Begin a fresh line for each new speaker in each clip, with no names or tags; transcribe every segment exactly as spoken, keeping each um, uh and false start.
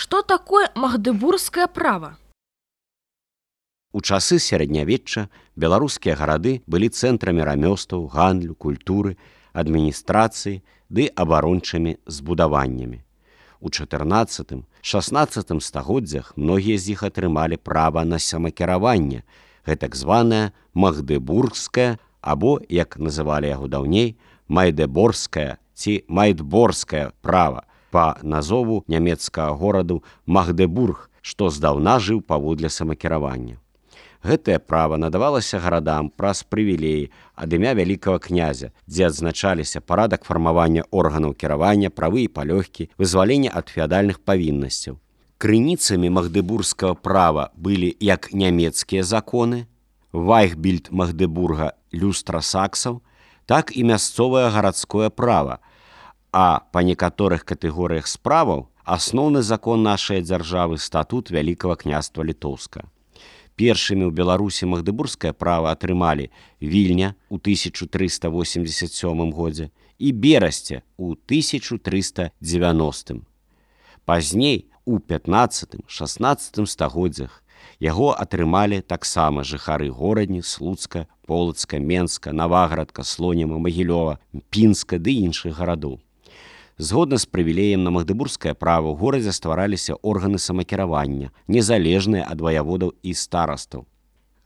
Што такое магдэбургскае права?
У часы сярэднявечча беларускія гарады былі цэнтрамі рамёстваў, гандлю, культуры, адміністрацыі ды абарончымі збудаваннямі. У чатырнаццатым-шаснаццатым стагоддзях многія з іх атрымалі права на самакіраванне, гэтак званае магдэбургскае або, як называлі яго даўней, майдэборгскае ці майдборгскае права па назову нямецкага гораду Магдебург, што здаўна жыў паводле самакіравання. Гэтае права надавалася гарадам праз прывілеі ад імя вялікага князя, дзе адзначаліся парадак фармавання органаў кіравання, правы і палёгкі, вызваленне ад феадальных павіннасцяў. Крыніцамі магдэбургскага права былі як нямецкія законы, Вайхбільд Магдебурга люстра саксаў, так і мясцовае гарадское права, а па некаторых катэгорыях справаў асноўны закон нашай дзяржавы статут Вялікага княства Літоўска. Першымі ў Беларусі магдэбургскае права атрымалі Вільня ў тысяча трыста восемьдесят сёмым годзе і Берасце ў тысяча трыста дзевяностым. Пазней, у пятнаццатым-шаснаццатым стагоддзях, яго атрымалі таксама жыхары Горадні, Слуцка, Полацка, Менска, Наваградка, Слоніма, Магілёва, Пінска ды іншых гарадоў. Згодна з прывілеем на магдэбургскае права ў горадзе ствараліся органы самакіравання, незалежныя ад ваяводаў і старастаў.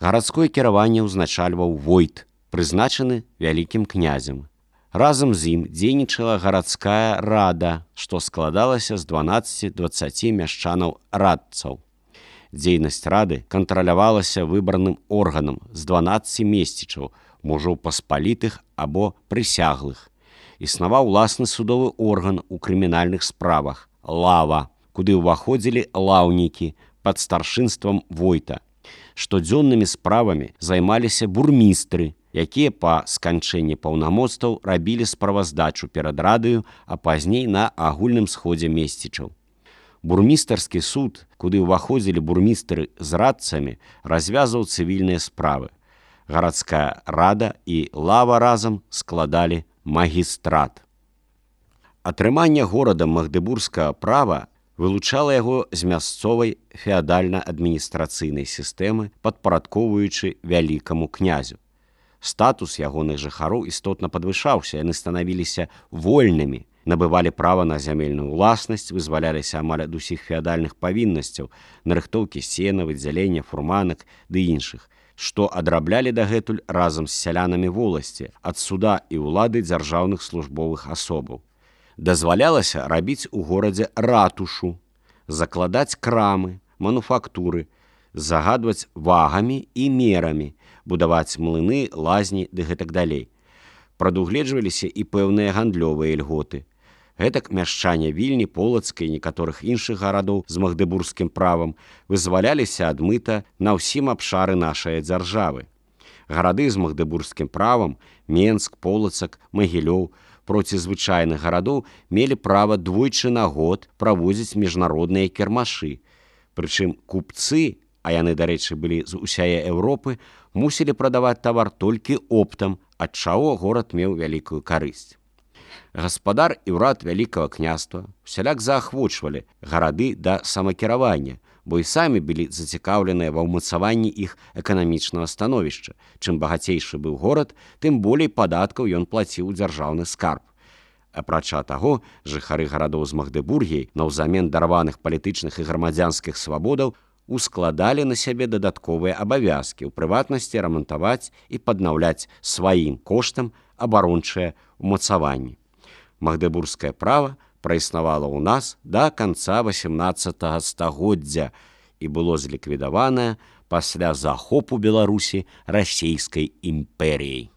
Гарадское кіраванне ўзначальваў войт, прызначаны вялікім князем. Разам з ім дзейнічала гарадская рада, што складалася з дванаццаці-дваццаці мяшчанаў-радцаў. Дзейнасць рады кантралявалася выбарным органам з дванаццаці месцічаў, мужоў паспалітых або прысяглых. Існаваў уласны судовы орган у крымінальных справах – лава, куды ўваходзілі лаўнікі пад старшынствам войта. Штодзённымі справамі займаліся бурмістры, якія па сканчэнні паўнамоцтваў рабілі справаздачу перад радаю, а пазней на агульным сходзе месцічаў. Бурмістарскі суд, куды ўваходзілі бурмістры з радцамі, развязваў цывільныя справы. Гарадская рада і лава разам складалі магістрат. Атрыманне горадам магдэбургскага права вылучала яго з мясцовай феадальна-адміністрацыйнай сістэмы, падпарадкоўваючы вялікаму князю. Статус ягоных жыхароў істотна падвышаўся, яны станавіліся вольнымі, набывалі права на зямельную ўласнасць, вызваляліся амаль ад усіх феадальных павіннасцяў, нарыхтоўкі сена, выдзялення фурманак ды іншых, што адраблялі дагэтуль разам з сялянамі воласці ад суда і ўлады дзяржаўных службовых асобаў. Дазвалялася рабіць у горадзе ратушу, закладаць крамы, мануфактуры, загадваць вагамі і мерамі, будаваць млыны, лазні ды гэтак далей. Прадугледжваліся і пэўныя гандлёвыя льготы. Гэтак мяшчане Вільні, Полацка і некаторых іншых гарадоў з магдэбургскім правам вызваляліся ад мыта на ўсім абшары нашай дзяржавы. Гарады з магдэбургскім правам – Менск, Полацак, Магілёў – проці звычайных гарадоў мелі права двойчы на год праводзіць міжнародныя кірмашы. Прычым купцы, а яны, дарэчы, былі з усяе Еўропы, мусілі прадаваць тавар толькі оптам, ад чаго горад меў вялікую карысць. Гаспадар і ўрад вялікага княства усяляк заахвочвалі гарады да самакіравання, бо і самі былі зацікаўленыя ва ўмацаванні іх эканамічнага становішча. Чым багацейшы быў горад, тым болей падаткаў ён плаціў у дзяржаўны скарб. Апрача таго, жыхары гарадоў з Магдэбургіяй наўзамен дарваных палітычных і грамадзянскіх свабодаў ускладалі на сябе дадатковыя абавязкі, у прыватнасці рамантаваць і паднаўляць сваім коштам абарончыя ўмацаванні. Магдэбургскае права праіснавала ў нас да канца васямнаццатага стагоддзя і было зліквідаванае пасля захопу Беларусі расійскай імперіяй.